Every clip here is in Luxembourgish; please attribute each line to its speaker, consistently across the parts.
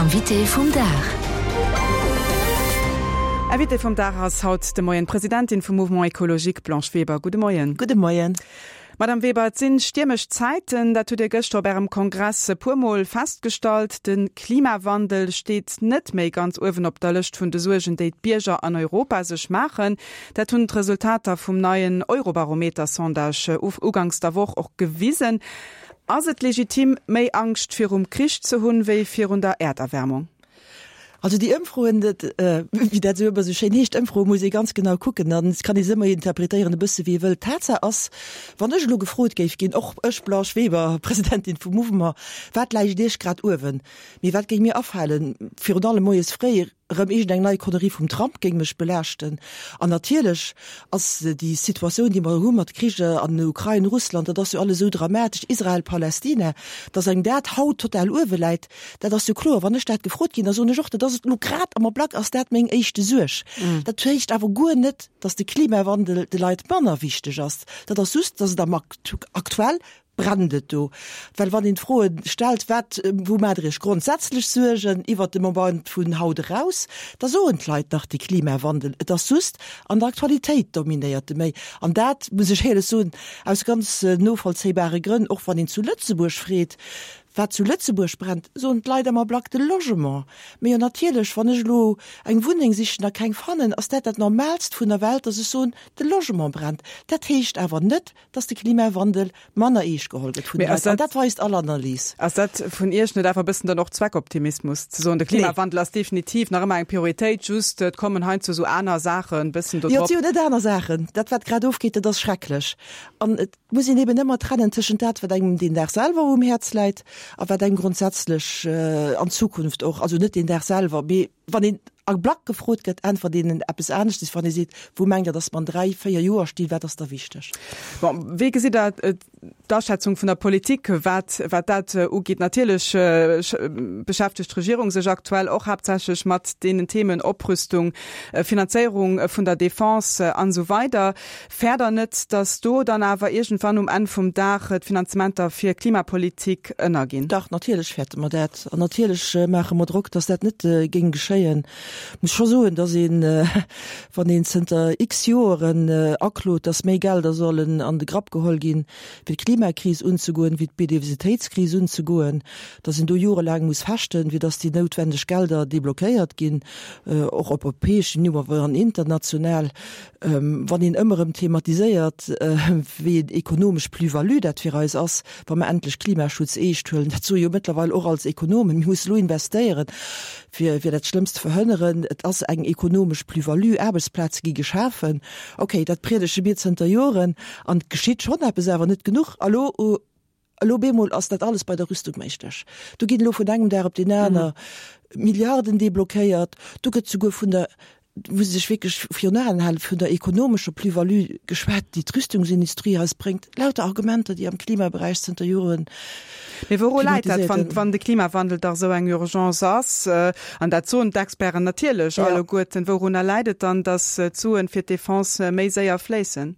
Speaker 1: Invité vum Dag.
Speaker 2: Invitée vum Dag ass haut de Moien d'Presidentin vum Mouvement Ecologique, Blanche Weber. Gudde Moien.
Speaker 3: Gudde Moien.
Speaker 2: Madame Weber, et sinn stiermesch Zäiten, dat hutt Dir gëschter op Ärem Kongress e puer Mol festgestallt. De Klimawandel steet net méi ganz uewen op der Lëscht vun de Suergen, déi d'Bierger an Europa sech maachen. Dat hunn d'Resultater vum neien Eurobarometer-Sondage uganks der Woch och gewisen. Ass et legitim, méi Angscht virum Krich ze hunn, wéi virun der Äerderwärmung?
Speaker 3: Also déi Ëmfroen, dat, wéi dat esou ëmmer esou schéin heescht, Ëmfroe muss ee ganz genau kucken an et kann ee se ëmmer interpretéieren e bësse wéi ee wëllt. Tatsaach ass, wann ech elo gefrot géif ginn, och ech Blanche Weber, Presidentin vum Mouvement, wat läicht Iech grad uewen, mee wat géing mir afalen, virun allem moies fréi, Erëm iergend eng nei Connerie vum Trump géing mech belaaschten. An natierlech ass déi Situatioun, déi mer hu mat Kricher an Ukrain, Russland, dat ass jo alles esou dramatesch, Israel, Palästina, datt engem dat haut total uewe läit, dat ass jo kloer. Wann ech dat gefrot ginn, da soen ech och, dat ass et elo grad am Ablack ass dat meng éischte Suerg. Dat heescht awer guer net, datt de Klimawandel de Leit manner wichteg ass. Dat ass just, datt et am aktuell Brennt et do? Well wann een d'Froe stellt, wat, wou maacht Der Iech grondsätzlech Suergen iwwert de Moment vun haut eraus, da soen d'Leit nach de Klimawandel. Et ass just, an der Aktualitéit dominéiert e méi. An dat, muss ech éierlech soen, aus ganz novollzéibare Grënn, och wann een zu Lëtzebuerg freet, wat zu Lëtzebuerg brennt, soen d'Leit am Ablack de Logement. Mee jo natierlech, wann ech elo eng Wunneng sichen a keng fannen, ass dat dat Normaalst vun der Welt, dass ech soen, de Logement brennt. Dat heescht awer net, dass de Klimawandel manner eescht geholl gëtt vun de Leit. An dat weist all Analys.
Speaker 2: Ass dat vun Iech net einfach e bëssen dann och Zweckoptimismus, ze soen, de Klimawandel ass definitiv nach ëmmer eng Prioritéit, just et kommen heiansdo esou aner Saachen e bëssen do
Speaker 3: drop? Jo, et si jo net aner Saachen. Dat, wat grad ofgeet, dat ass schrecklech. An et muss een eben ëmmer trennen tëschent dat, wat engem deen Dag selwer um Häerz läit a wat engem grondsätzlech an Zukunft och, also net deen Dag selwer, mee Wann een a Black gefrot gëtt, äntwert een eppes aneschtes, wann ee seet, Wou mengt Der, datt mer an dräi, véier Joer stinn? Wat ass da wichteg?
Speaker 2: Bon, wéi gesitt Der d'Aschätzung vun der Politik, wat, wat dat ugeet? Natierlech beschäftegt d'Regierung sech aktuell och haaptsächlech mat deenen Themen Oprüstung, Finanzéierung vun der Defense an esou weider. Fäert Der net, datt do dann awer iergendwann um Enn vum Dag d'Finanzementer fir Klimapolitik ënnerginn?
Speaker 3: Dach, natierlech fäerte mer dat. An natierlech maache mer Drock, datt dat net géing geschéien. Ech muss scho soen, datt een, wann een zënter x Joeren aklot, datt méi Gelder sollen an de Grapp geholl ginn, fir d'Klimakris unzegoen, fir d'Biodiversitéitskris unzegoen, datt een do jorelaang muss fechten, fir datt déi noutwendeg Gelder deblockéiert ginn, och op europäeschem Niveau, awer an international, Wann een ëmmer erëm thematiséiert, wéi een ekonomesch Plus-value dat fir eis ass, wa mer endlech Klimaschutz eescht huelen, dat soe jo mëttlerweil och als Ekonomen, mir musse elo investéieren, fir fir dat Schlëmmst ze verhënneren, et ass eng ekonomesch Plus-value, Aarbechtsplaze gi geschafen. Okay, dat priedege mir zënter Joren an et geschitt schonn eppes, awer net genuch. A lo Elo bemol ass dat alles bei der Rüstung méiglech. Do ginn elo vun engem Dag op deen aner Milliarden deblockéiert. Do gëtt souguer vun der, muss ee sech wierklech virun Aen halen, vun der ekonomescher Plus-value geschwat, déi d'Rüstungsindustrie eis bréngt. Lauter Argumenter, déi am Klimaberäich zënter Joren
Speaker 2: Mee wouru läit dat, wann, wann de Klimawandel dach esou eng Urgence ass, an dat soen d'Experten natierlech alleguerten, wourunner läit et dann, datt d'Suen fir d'Defense méi séier fléissen?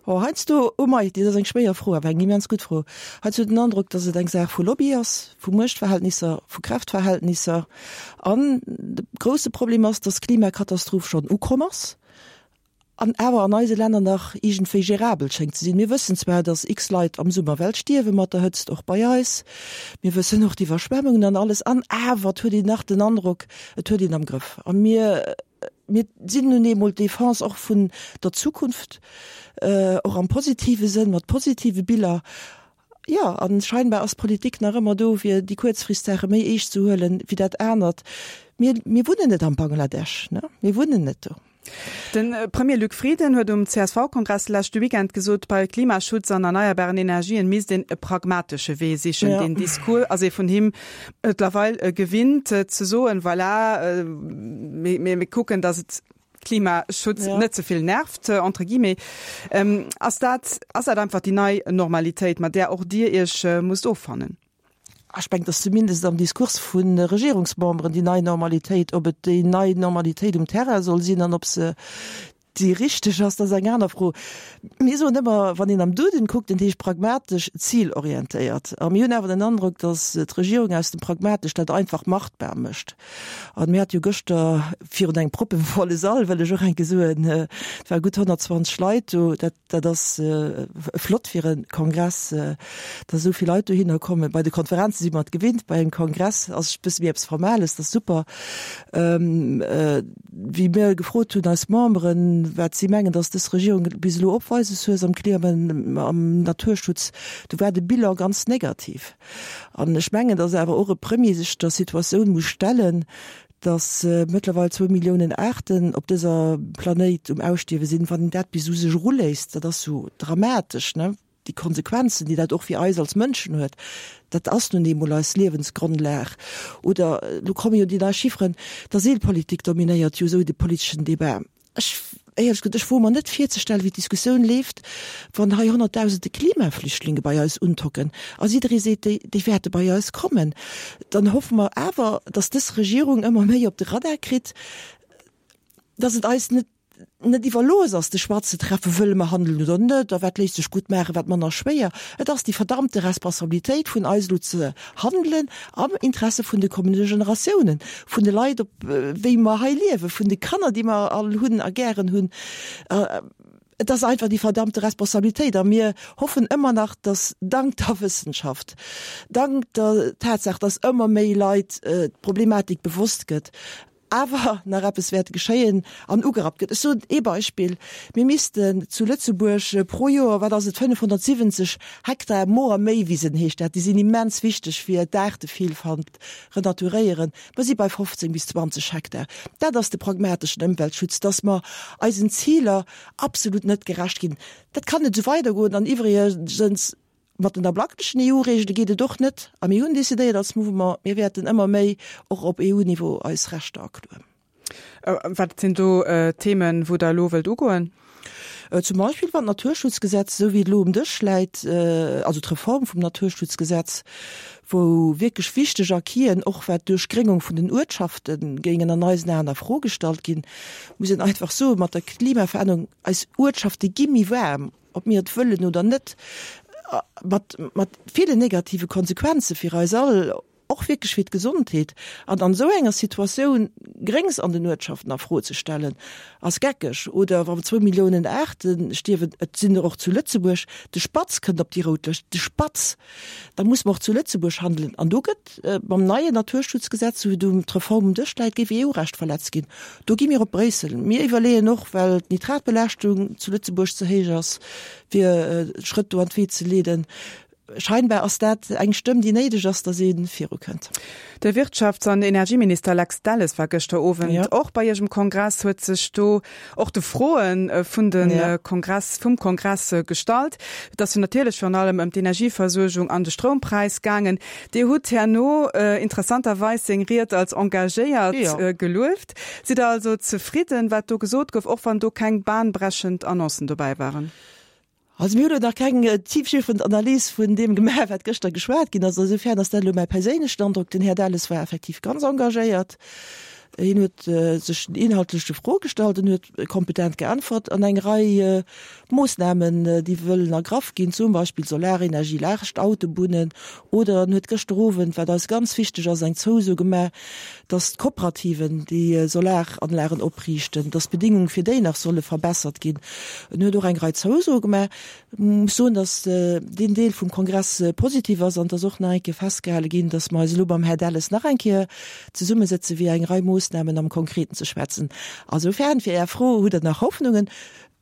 Speaker 3: Oh, heiansdo, oh mei, dat ass eng schwéier Fro, awer eng immens gutt Fro. Heiansdo huet een den Androck, datt et eng Saach vu Lobby ass, vu Muechtverhältnisser, vu Kräftverhältnisser. An de grousse Problem ass, datt d'Klimakatastroph schonn ukomm ass an awer an eise Länner nach iergendwéi gérabel schéngt ze sinn. Mir wëssen zwar, datt x Leit am Summer well stierwe mat der Hëtzt, och bei eis. Mir wëssen och d'Iwwerschwemmungen an alles. An awer, et huet een nach den Androck, et huet een am Grëff. A mir Mir sinn nun eemol d'Defense och vun der Zukunft, och am positive Sënn, mat positive Biller. Jo, a scheinbar ass d'Politik nach ëmmer do, fir déi Kuerzfristsaache méi eescht ze huelen, wéi dat anert. Mir, mir wunnen net am Bangladesch, ne? Mir wunnen net do.
Speaker 2: De Premier Luc Frieden huet um CSV-Kongress leschte Weekend gesot, bei Klimaschutz an erneierbaren Energien misst een e pragmatesche Wee sichen. Deen Discours ass ee vun him mëttlerweil gewinnt ze soen, voilà, mir kucken, datt et Klimaschutz net ze vill nervt, entre guillemets. Ass dat, ass dat einfach déi nei Normalitéit, mat där och Dir Iech musst offannen?
Speaker 3: Ech mengen, et ass zumindest am Diskurs vu Regierungsmemberen déi nei Normalitéit. Ob et déi nei Normalitéit um Terrain soll sinn an ob se. déi richteg ass, dat ass eng aner Fro. Mir soen ëmmer, wann een am Duden kuckt, en heescht pragmatesch zilorientéiert. A mir hunn awer den Androck, datt d'Regierung aus dem pragmatesch dat einfach machtbar mécht. An mir hate jo gëschter virun engem proppevolle Sall, wëll ech och eng Kéier soen, et ware gutt 120 Leit do, dat, dat ass flott fir e Kongress, datt esou vill Leit dohinner kommen. Bei de Konferenze si mer et gewinnt, bei engem Kongress ass e bësse méi eppes Formales, dat ass super. Wéi mir gefrot hunn, eis Memberen, wat si mengen, datt dës Regierung bis elo opweises hues am Klima an am Naturschutz, do war de Bilan ganz negativ. An ech mengen, datt awer och e Premier sech der Situatioun muss stellen, datt mëttlerweil zwou Milliounen Aarten op dëser Planéit um Ausstierwe sinn. Wann een dat bis u sech eruléisst, dat ass jo dramatesch, ne? Déi Konsequenzen, déi dat och fir eis als Mënschen huet, dat ass nun eemol eis Liewensgrondlag. Oder elo komme jo déi nei Chifferen, d'Asylpolitik dominéiert jo esou de politeschen Debat. Ech, éierlech gesot, ech woe mer net virzestellen, wéi d'Diskussioun leeft, wann hei honnertdausende Klimaflüchtlinge bei eis untocken a jidderee seet, déi, déi wäerte bei eis kommen. Dann hoffe mer awer, datt dës Regierung ëmmer méi op de Radar kritt, datt et eis net, net iwwerlooss ass, de Choix ze treffen, wëlle mer handelen oder net, a wat léisst sech gutt maachen, wat manner schwéier. Et ass déi verdammte Responsabilitéit vun eis elo ze handelen am Interesse vun de kommende Generatiounen, vun de Leit, op wéi mer hei liewen, vun de Kanner, déi mer all hunn a gären hunn. Et ass einfach déi verdammte Responsabilitéit a mir hoffen ëmmer nach, dass dank der Wëssenschaft, dank der Tatsaach, dass ëmmer méi Leit d'Problematik bewosst gëtt, awer nach eppes wäert geschéien an ugerappt gëtt. Ech soen ee Beispill, Mir missten zu Lëtzebuerg pro Joer, wat ass et, 570 Hektar Moor Méiwisen heescht dat, déi sinn immens wichteg fir d'Aartevillfalt, renaturéieren. Mer si bei 15 bis 20 Hektar. Dat ass de pragmateschen Ëmweltschutz, dass mer eisen Ziler absolut net gerecht ginn. Dat kann net esou weidergoen an iwwregens, Mat den ablacklechen EU-Reegele geet et och net. A mir hunn decidéiert als Mouvement, mir wäerten ëmmer méi och op EU-Niveau eis Rechter akloen.
Speaker 2: Wat sinn do Themen, wou Der elo wëllt ugoen?
Speaker 3: Zum Beispill wann d'Naturschutzgesetz, esou wéi et elo um Dësch läit, also d'Reform vum Naturschutzgesetz, wou wierklech wichteg Acquisen, och wat d'Duerchgréngung vun den Uertschafte géingen an eisen Aen a Fro gestallt ginn, muss een einfach soen, mat der Klimaverännerung, eis Uertschafte gi méi waarm. ob mir et wëllen oder net, mat, mat ville negative Konsequenze fir eis all, och wierklech fir d'Gesondheet. An an esou enger Situatioun Gréngs an den Uertschaften a Fro ze stellen, ass geckeg. Oder wa zwou Milliounen Aarte stierwen, et sinn der och zu Lëtzebuerg, de Spatz kënnt op déi rout Lëscht, de Spatz! Da muss mer och zu Lëtzebuerg handelen. An do gëtt mam neien Naturschutzgesetz, wou du d'Reform um Dësch läit, géif EU-Recht verletzt ginn. Do gi mir op Bréissel. Mir iwwerleeën och, well d'Nitratbelaaschtung zu Lëtzebuerg ze héich ass, fir Schrëtt do an d'Wee ze leeden. Scheinbar ass dat eng Stëmm, déi néideg ass, datt ee virukënnt.
Speaker 2: De Wirtschafts an Energieminister Lex Delles war gëschter Owend och bei Iech um Kongress, huet sech do och de Froe vun de Kongress, vum Kongress gestallt. Et ass jo natierlech virun allem ëm d'Energieversuergung an de Stroumpräis gaangen. Dir hutt herno interessanterweis seng Ried als engagéiert gelueft. Sidd Der also zefridden, wat do gesot gouf, och wann do keng bahnbrechend Annoncen dobäi waren?
Speaker 3: Also mir hunn elo nach keng tiefgreifend Analys vun deem gemaach, wat gëschter geschwat ginn ass. Insofern ass dat elo mäi perséinlechen Androck. Den Här Delles war effektiv ganz engagéiert. Hien huet sech den inhaltleche Froe gestallt, en huet kompetent geäntwert an eng Rei Moossnamen, déi wëllen ergraff ginn, zum Beispill Solarenergie laascht Autobunnen, oder en huet gëschter Owend, wat eis ganz wichteg ass, eng Zouso gemaach, dass d'Kooperativen, déi Solaranlagen opriichten, dass d'Bedingunge fir déi nach solle verbessert ginn. En huet och eng Rei Zousoe gemaach. Ech muss soen, dass deen Deel vum Kongress positiv ass an dass och nach eng Kéier festgehale ginn, dass mer eis elo mam Här Delles nach eng Kéier zesummesëtze fir eng Rei Moossnamen am Konkreten ze schwätzen. Asoufern, fir Är Fro, Hutt Der nach Hoffnungen?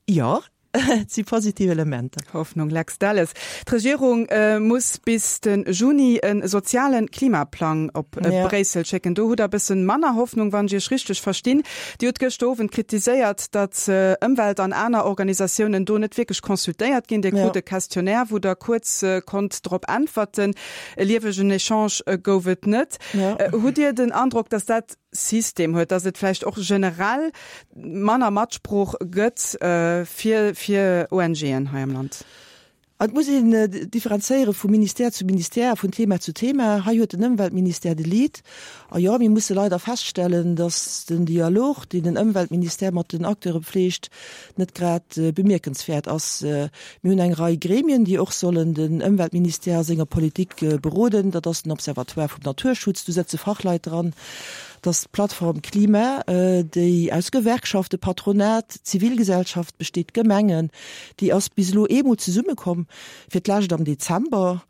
Speaker 3: Jo, et si positiv Elementer.
Speaker 2: Hoffnung, Lex Delles. D'Regierung muss bis de Juni e soziale Klimaplang op Bréissel schécken. Do hutt Der e bëssen manner Hoffnung, wann ech Iech richteg verstinn. Dir hutt gëschter Owend kritiséiert, datt Ëmwelt an aner Organisatiounen do net wierklech consultéiert ginn. Dir krut e Questionnaire, wou Der kuerz konnt drop äntwerten. E liewegen Echange gouf et net. Hutt Dir den Androck, datt dat System huet, datt et vläicht och generell manner Matsprooch gëtt fir fir ONGen hei am Land?
Speaker 3: Et muss een differenzéiere vu Ministère zu Ministère a vun Thema zu Thema. Hei huet den Ëmweltministère de Lead. A jo, mir musse leider feststellen, datt den Dialog, deen den Ëmweltministère mat den Acteure pfleegt, net grad bemierkenswäert ass. Mir hunn eng Rei Gremien, déi och sollen den Ëmweltministère a senger Politik beroden. Dat ass den Observatoire vum Naturschutz, do sëtze Fachleit dran. Dat ass d'Plattform Klima, déi aus Gewerkschaften, Patronat, Zivilgesellschaft besteet, Gemengen. Déi ass bis elo eemol zesummekomm, fir d'lescht am Dezember.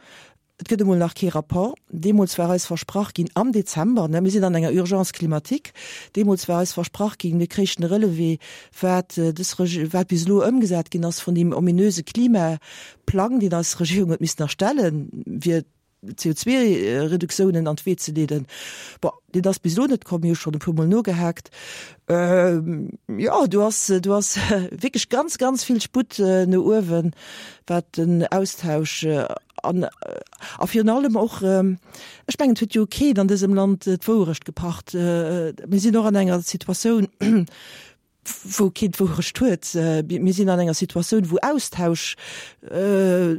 Speaker 3: Et gëtt emol nach kee Rapport. Deemools war eis versprach ginn, am Dezember, ne, mir sinn an enger Urgence climatique, deemools war eis versprach ginn, mir kréichten e Relevé, wat dës Reg, wat bis elo ëmgesat ginn ass vun deem ominöse Klimaplang, deen eis Regierung huet missen erstellen, fir CO2-Reduktiounen an d'Wee ze leeden. Bon, deen ass bis elo net komm, mir hu schonn e puermol nogehaakt. Jo, do ass, do ass wierklech ganz, ganz vill Sputt no uewen, wat den Austausch an a virun allem och, ech mengen, et huet jo keen an dësem Land d'Wouerecht gepacht. Mir sinn och an enger Situatioun, wou keen d'Wourecht huet. Mir sinn an enger Situatioun, wou Austausch,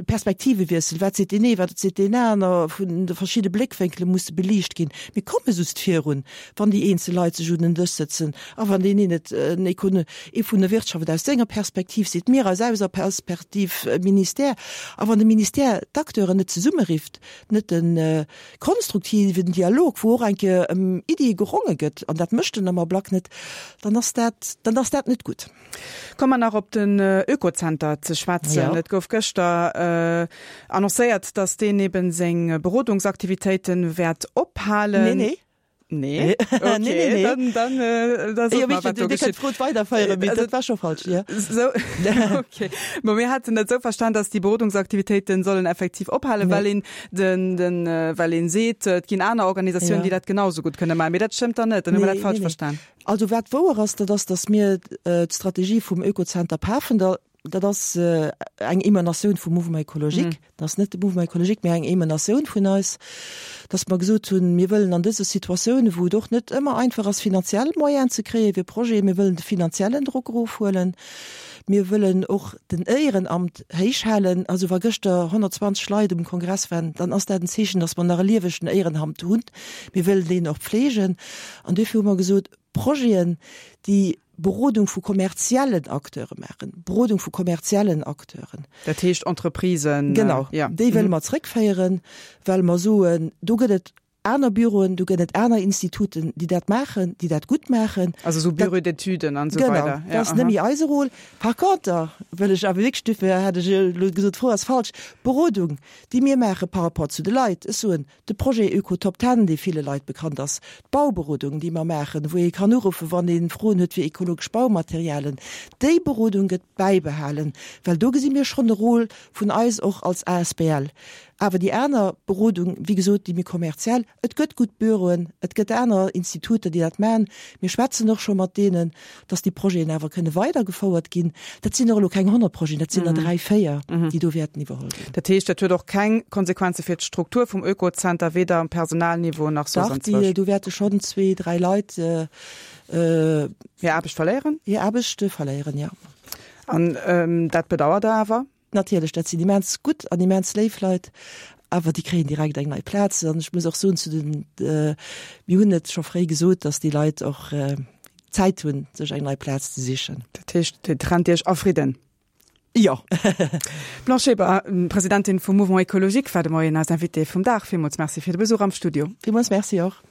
Speaker 3: Perspektivewiessel, wat seet deen ee, wat seet deen aner, vun de verschidde Bléckwénkele musse beliicht ginn. Mir komme just virun, wann déi eenzel Leit sech un den Dësch sëtzen a wann deen een et, en Econ, ee vun der Wirtschaft et aus senger Perspektiv seet, mir aus eiser Perspektiv, Ministère, a wann de Ministère d'Acteuren net zesummerifft, net de konstruktiven Dialog, wou och eng Kéier ëm Iddie geronge gëtt, an dat mécht en am Ablack net, dann ass dat, dann ass dat net gutt.
Speaker 2: Komme mer nach op den Oekozenter ze schwätzen. Et gouf gëschter annoncéiert, datt deen eben seng Berodungsaktivitéite wäert ophalen.
Speaker 3: Nee, nee.
Speaker 2: Nee? Okay, nee, nee, nee. Dann, dann, äh, da sot mer, wat do geschitt.
Speaker 3: Dir kënnt d'Fro weiderféieren, mee dat war scho falsch,
Speaker 2: jo. Sou, okay. Bon, mir haten dat sou verstan, dass déi Berodungsaktivitéiten sollen effektiv ophalen, well een den, den, well een seet, et ginn aner Organisatiounen, déi dat genau sou gutt kënne maachen. Mee dat stëmmt dann net, dann hu mer dat falsch verstan.
Speaker 3: Also wat wouer ass, dat ass, dass mir d'Strategie vum Oekozenter Pafendall, Dat ass eng Emanatioun vum Mouvement écologique. Dat ass net de Mouvement écologique, mä eng Emanatioun vun eis, dass mer gesot hunn, mir wëllen an dëse Situatiounen, wou et och net ëmmer einfach ass, finanziell Moyenen ze kréie fir Projeten, mir wëllen de finanziellen Drock erofhuelen, mir wëllen och den Éierenamt héich halen. Also wa gëschter 120 Leit um Kongress waren, dann ass dat en Zeechen, dass mer nach e liewegen Éierenamt hunn. Mir wëllen deen och pflegen. An duerfir hu mer gesot, Projeten, déi Berodung vu kommerziellen Acteure maachen, Berodung vu kommerziellen Acteuren.
Speaker 2: Dat heescht Entreprisen.
Speaker 3: Genau, déi wëlle mer zréckféieren, well mer soen, do gëtt et aner Büroen, do gëtt et aner Instituten, déi dat maachen, déi dat gutt maachen.
Speaker 2: Also esou Bureaux d'études an esou weider.
Speaker 3: Genau, dat ass net méi eise Rôle. Par conter wëll ech awer wierklech, duerfir hat ech elo gesot, d'Fro ass falsch, d'Berodung, déi mir maache par rapport zu de Leit, ech soen, De Projet Öko Top Ten, dee ville Leit bekannt ass, d'Bauberodung, déi mer maachen, wou ee kann uruffen, wann ee Froen huet fir ekologesch Baumaterialen, déi Berodung gëtt bäibehalen, well do gesi mir schonn e Rôle vun eis och als asbl. Awer déi aner Berodung, wéi gesot, déi méi kommerziell, et gëtt gutt Büroen, et gëtt aner Instituter, déi dat maachen. Mir schwätzen och scho mat deenen, dass déi Projeten awer kënne weidergefouert ginn. Dat sinn och elo keng 100 Projeten, dat sinn der dräi, véier, déi do wäerten iwwerholl ginn.
Speaker 2: Dat heescht, dat huet och keng Konsequenze fir d'Struktur vum Oekozenter, weder um Personalniveau nach soss
Speaker 3: anzwousch? Dach, déi, do wäerte schonn zwee, dräi Leit
Speaker 2: hir Aarbecht verléieren.
Speaker 3: Hir Aarbecht verléieren, jo.
Speaker 2: An dat bedauert Der awer?
Speaker 3: Natierlech, dat sinn immens gutt an immens léif Leit, awer déi kréien direkt eng nei Plaz. An ech muss och soen zu den, mir hunn et scho fréi gesot, datt déi Leit och Zäit hunn, sech eng nei Plaz ze sichen.
Speaker 2: Dat heescht, Dir trennt Iech a Fridden?
Speaker 3: Jo.
Speaker 2: D'Blanche Weber, Presidentin vum Mouvement Ecologique, war de Moien eis Invitée vum Dag. Villmools Merci fir de Besuch am Studio.
Speaker 3: Villmools Merci och.